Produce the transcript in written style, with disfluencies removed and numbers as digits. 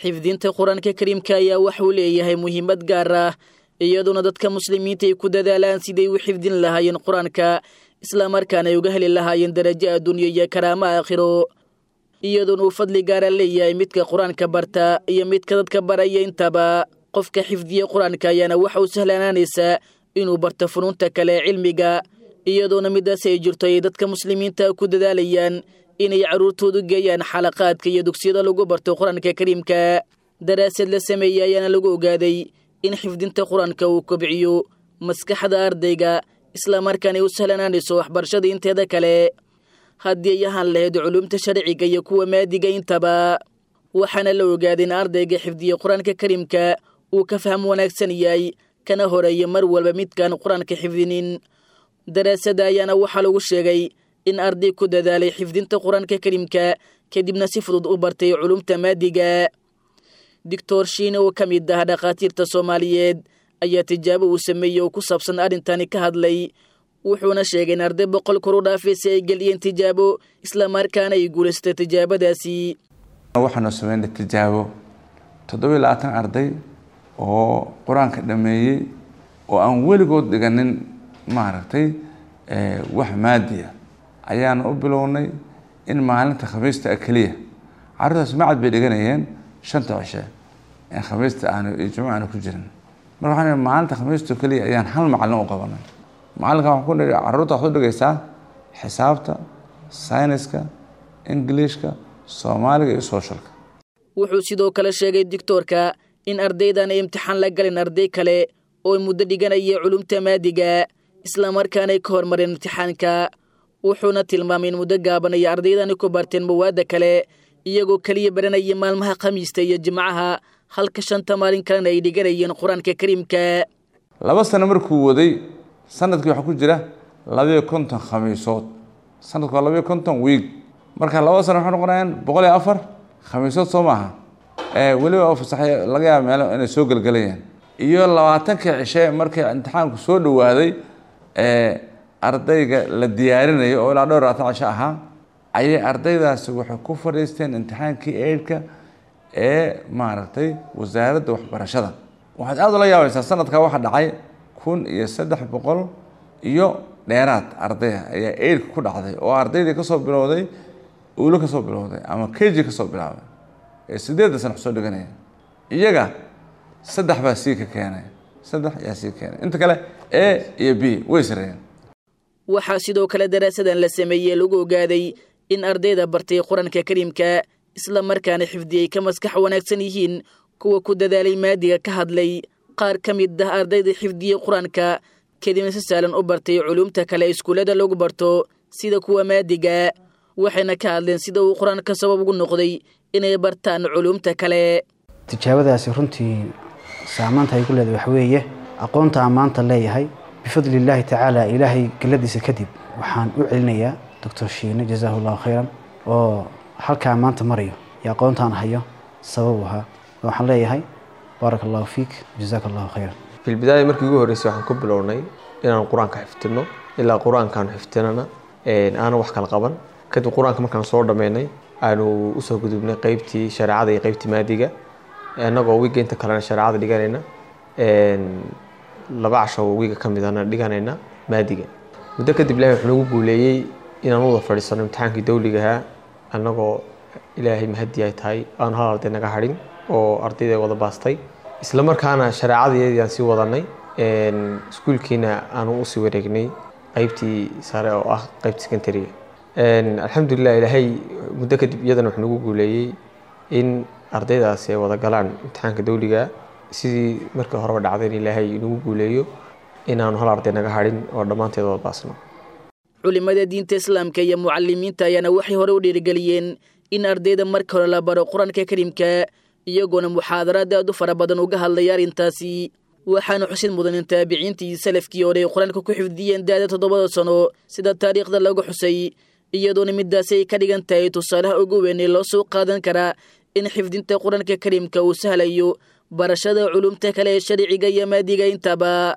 Xifdinta Qur-aanka Kariimka ayaa waxuu leeyahay muhiimad gaar ah, iyadoona dadka muslimiinta ay ku dadaalaan siday u xifdin lahaayeen Qur-aanka, islamarkaana ay uga heli lahaayeen darajo adduunyo iyo karaamo aakhiro, iyadoona uu fadli gaara leeyahay midka Qur-aanka barta iyo midka dadka baraya intaba. Qofka xifdiya Qur-aanka ayaana waxa uu sahlanaanaysaa inuu barto funuunta kale ee cilmiga, iyadoona midaas ay jirto ay dadka muslimiinta ku dadaalayaan inay carruurtoodu geeyaan xalaqaadka iyo dugsiyada lagu barto Qur-aanka Kariimka. Daraasad la sameeyey ayaana lagu ogaaday in xifdinta Qur-aanka uu kobciyo maskaxda ardayga, islamarkaana ay u sahlanaanayso waxbarashada inteeda kale, haddii ay ahaan lahayd culuumta sharciga iyo kuwa maadiga intaba. Waxaana la ogaaday in ardayga xifdiya Qur-aanka Kariimka uu ka faham wanaagsan yahay kana horeeya mar walba midkaan Qur-aanka xifdinin. Daraasada ayaana waxaa lagu sheegay in arday ku dadaalay xifdinta Qur-aanka Kariimka kadibna si fudud u bartay culumta maadiga. Doctor Shiine oo ka mid ah dhakhaatiirta Soomaaliyeed ayaa tijaabo uu sameeyey oo ku saabsan arrintani ka hadlay, wuxuuna sheegay in arday 100 kor u dhaafaysa ay geliyeen tijaabo, islamarkaana ay guulaystay tijaabadaasi. Waxaanu sameynay tijaabo 27 arday oo Qur-aanka dhameeyey oo aan weligood dhiganin maaragtay wax maadiya ayaanu u bilownay in maalinta Khamiista keliya. Carruurtaas macad bay dhiganayeen shanta cishe ee Khamiista aanu iyo Jimco aanu ku jirin. Marka waxaan maalinta Khamiista keliya ayaan hal macallin u qabanay. Macallinka waxaan ku nidhi, carruurta waxaad u dhigaysaa xisaabta, sayniska, Ingiliishka, Soomaaliga iyo socialka. Wuxuu sidoo kale sheegay doctoorka in ardaydan ay imtixaan la galin arday kale oo muddo dhiganaya culumta maadiga, islamarkaanay ka hormareen imtixaanka. Wuxuuna tilmaamay in muddo gaaban ay ardaydani ku barteen mawaadda kale, iyagoo keliya baranaya maalmaha Khamiista iyo Jimcaha, halka shanta maalin kalena ay dhiganayeen Qur-aanka Kariimka. 2 sano markuu waday, sanadkii waxaa ku jira 52 khamiisood. Sanadku waa 52 wiig. Marka 2 sano waxay noqonayaan 104 khamiisood, soo maaha? Weliba oo fasaxay laga yaaba meelo inay soo gelgelayaan iyo 20-kii cishe. Markii imtixaanku soo dhawaaday, ardayga la diyaarinayo oo ilaa dhowr 20 cisho ahaa, ayay ardaydaasi waxay ku fadhiisteen imtixaankii eidhka ee maaragtay wasaaradda waxbarashada. Waxaad aada ula yaabaysaa, sanadkaa waxaa dhacay 1300 iyo dheeraad ardaya ayaa eidhka ku dhacday, oo ardaydii kasoo bilowday ulo, kasoo bilowday ama KG kasoo bilaabay ee 8-da sano soo dhiganaya. Iyaga saddex baa sii ka keenay, saddex ayaa sii keenay, inta kale A iyo B way sareeyeen. Waxaa sidoo kale daraasadan la sameeyey lagu ogaaday in ardayda bartay Qur-aanka Kariimka isla markaana xifdiyey ka maskax wanaagsan yihiin kuwa ku dadaalay maadiga. Ka hadlay qaar ka mid ah ardayda xifdiyey Qur-aanka kadibna si sahlan u bartay culuumta kale iskuullada lagu barto sida kuwa maadiga, waxayna ka hadleen sida uu Qur-aanka sabab ugu noqday inay bartaan culuumta kale. Tijaabadaasi runtii saamaanta ay ku leedahay waxa weeye aqoonta aan maanta leeyahay bifadli illaahi tacaala, Ilaahay galladiisa kadib waxaan u celinayaa Doctor Shiine, jazaahu Allahu khayran, oo halkaa maanta marayo iyo aqoontaan hayo sabab u ahaa. Waxaan leeyahay baaraka Allahu fiik, jazaaka Allahu khayran. Fi lbidaaya, markii ugu horreysay waxaan ku bilownay inaan Qur-aanka xifdino, ilaa Qur-aankaanu xifdinana aanan wax kala qaban. Kadib Qur-aanka markaan soo dhammeynay, aanu usoo gudubnay qeybtii shareecada iyo qeybtii maadiga, annagoo wiigga inta kalena shareecada dhiganayna, 2 casho wiiga ka midana dhiganayna maadiga. Muddo kadib Ilahay wuxuu nagu guuleeyey inaan wada fadhiisano imtixaankii dawliga ahaa, annagoo Ilaahay mahadi ay tahay aanu hal arday naga hadhin oo ardayda wada baastay. Isla markaana shareecadii aan sii wadanay, iskuulkiina aanu usii wareegnay qeybtii sare oo ah qeybta secondary. Alxamdulilah, Ilaahay muddo kadib iyadana wuxuu nagu guuleeyey in ardaydaasi ay wada galaan imtixaanka dawliga, sidii markii horeba dhacday in Ilaahay nagu guuleeyo inaanu hal arday naga hadhin oo dhammaanteed wada baasno. Culimada diinta Islaamka iyo mucalimiinta ayaana waxay hore u dhiirigeliyeen in ardayda marka hore la baro Qur-aanka Kariimka, iyagoona muxaadaraad aad u fara badan uga hadlaya arrintaasi. Waxaana xusid mudan in taabiciintii salafkii hore ay Qur-aanka ku xifdiyeen da'da 7-da sano, sida taariikhda lagu xusay, iyadoona midaasi ay ka dhigan tahay tusaalaha ugu weyn ee loo soo qaadan karaa in xifdinta Qur-aanka Kariimka uu sahlayo barashada culumta kale ee sharciga iyo maadiga intaba.